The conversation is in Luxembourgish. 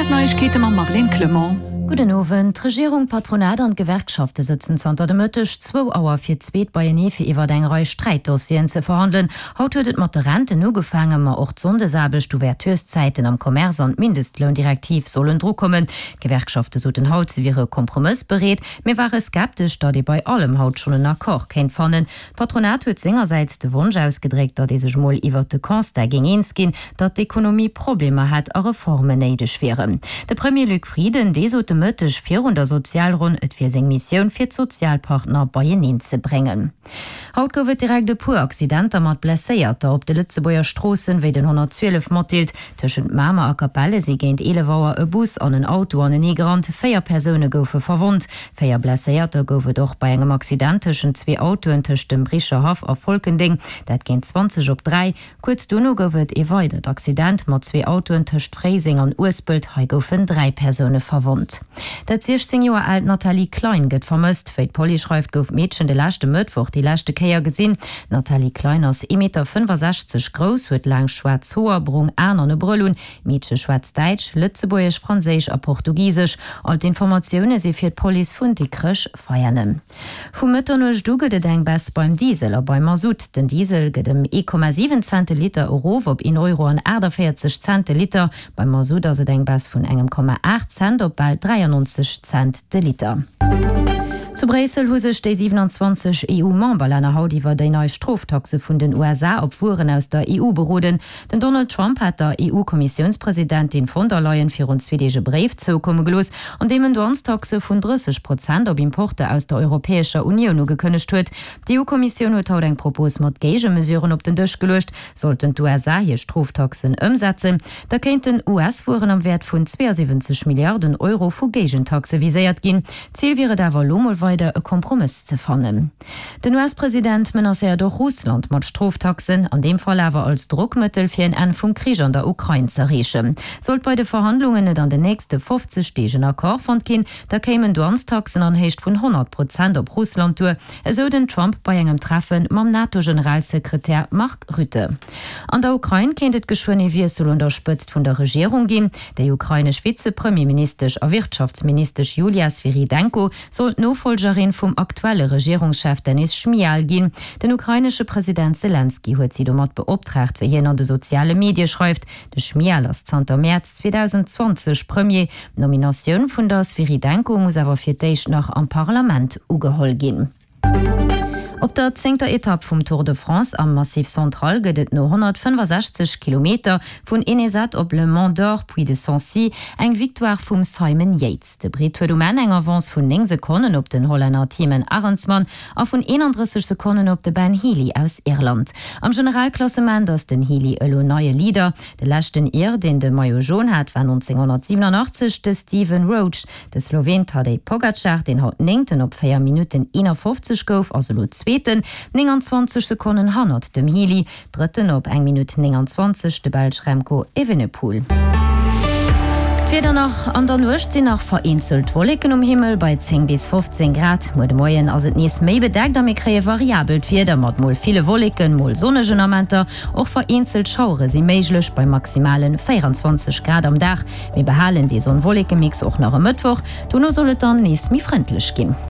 D'Neiegkeete mam Marlène Clement. Gudden Owend. D'Regierung, d'Patronat an d'Gewerkschafte sëtzen zanter de Mëtteg zwou Auer fir d'zweet beienee fir iwwert eng Rei Sträitdossieren ze verhandelen. Haut huet et mat de Renten ugefaangen, ma och d'Sonndesaarbecht, d'Ouvertureszäiten am Commerce an d'Mindestloundirektiv sollen drukommen. D'Gewerkschafte soten haut, se wiere kompromëssbereet, mee ware skeptesch, datt ee bei allem haut schonn en Accord kéint fannen. D'Patronat huet sengersäits de Wonsch ausgedréckt, datt ee sech mol iwwert de Constat géing eens ginn, datt d'Ekonomie Problemer hätt a Reformen néideg wieren. De Premier Luc Frieden, dee sot de Mëtteg virun der Sozialronn, et wier seng Missioun, fir d'Sozialpartner beieneen ze bréngen. Haut gouf et direkt e puer Accidenter mat Blesséierter op de Lëtzebuerger Stroossen, wéi den 112 matdeelt. Tëschent Mamer a Capelle si géint 11 Auer e Bus an en Auto aneneegerannt, 4 Persoune goufe verwonnt. 4 Blesséierter gouf et och bei engem Accident tëschent zwee Autoen tëscht dem Bricherhaff a Folkendeng, dat géint 20 op 3. Kuerz dono gouf et ee weidert Accident mat zwee Autoen tëscht Fréiseng an Uespelt, hei goufen 3 Persoune verwonnt. Dat 16 Joer aalt Nathalie Klein gëtt vermësst. Wéi d'Police schreift, gouf d'Meedchen de leschte Mëttwoch déi leschte Kéier gesinn. D'Nathalie Klein ass ee Meter 65 grouss, huet laang schwaarz Hoer, brong Aen an e Brëll un. D'Meedche schwätzt Däitsch, Lëtzebuergesch, Franséisch a Portugisesch. All d'Informatioune si fir d'Police vun Dikrech-Veianen. Vu Mëtternuecht u gëtt et eng Baisse beim Diesel a beim Masutt. Den Diesel gëtt ëm 1,7 Cent de Liter erof op een Euro an 48 Cent de Liter. Beim Masutt ass et eng Baisse vun engem Komma 8 Cent op bal 93 Cent de Liter. Zu Bréissel hu sech déi 27 EU-Memberlänner haut iwwer déi nei Stroftaxe vun den USA op Wueren aus der EU beroden. Den Donald Trump hat der EU-Kommissiounspresidentin von der Leyen virun zwee Deeg e Bréif zoukomme gelooss, an deem en Douanestaxe vun 30 Prozent op Importer aus der Europäescher Unioun ugekënnegt huet. D'EU-Kommissioun huet haut eng Propos mat Géigemesuren op den Dësch geluecht. Sollten d'USA hir Stroftaxen ëmsetzen, da kéinten US-Wueren am Wäert vun 72 Milliarden Euro vu Géigentaxe viséiert ginn. Zil wier et awer elo mol weider e Kompromëss ze fannen. Den US-President menacéiert och Russland mat Stroftaxen, an deem Fall awer als Drockmëttel fir en Enn vum Krich an der Ukrain z'erreechen. Sollt bei de Verhandlungen net an den nächste 50 Deeg en Accord fonnt ginn, da kéimen Douanestaxen an Héicht vun 100 Prozent op Russland duer, esou den Trump bei engem Treffe mam NATO-Generalsekretär Mark Rutte. An der Ukrain kéint et geschwënn ee Wiessel un der Spëtzt vun der Regierung ginn. Déi ukrainesch Vize-Premierministesch a Wirtschaftsministesch Julia Swyrydenko soll d'Nofollgerin vum aktuelle Regierungschef Denys Schmyhal ginn. Den ukrainesche President Selenskyj huet si domat beoptraagt, wéi hien an de soziale Medie schreift. De Schmyhal ass zanter Mäerz 2020 Premier. D'Nominatioun vun der Swyrydenko muss awer fir d'éischt nach am Parlament ugeholl ginn. Op der zéngter Etapp vum Tour de France am Massif Central gëtt et no 165 Kilometer vun Ennezat op Le Mont Dore, Puy de Sancy, eng Victoire vum Simon Yates. De Britt huet um Enn eng Avance vun 9 Sekonnen op den Hollänner Thymen Arensman a vun 31 Sekonnen op de Ben Healy aus Irland. Am Generalklassement ass den Healy elo neie Leader. De leschten Ir, deen de Maillot Jaune hat, war 1987 de Stephen Roche. De Sloween Tadej Pogacar, deen haut Néngten op 4 Minutten 51 gouf, ass elo Zweeten, 29 Sekonnen hannert dem Healy. Drëtten op eng Minutt 29 de Belsch Remco Evenepoel. D'Wieder nach, An der Nuecht sinn nach vereenzelt Wolleken um Himmel bei 10 bis 15 Grad. Muer de Moien ass et nees méi bedeckt a mir kréie variabelt Wieder mat mol ville Wolleken, mol sonnegen Amenter. Och vereenzelt Schauere si méiglech bei maximale 24 Grad am Dag. Mir behalen dee Sonn-Wolleke-Mix och nach e Mëttwoch, dono soll et dann nees méi frëndlech ginn.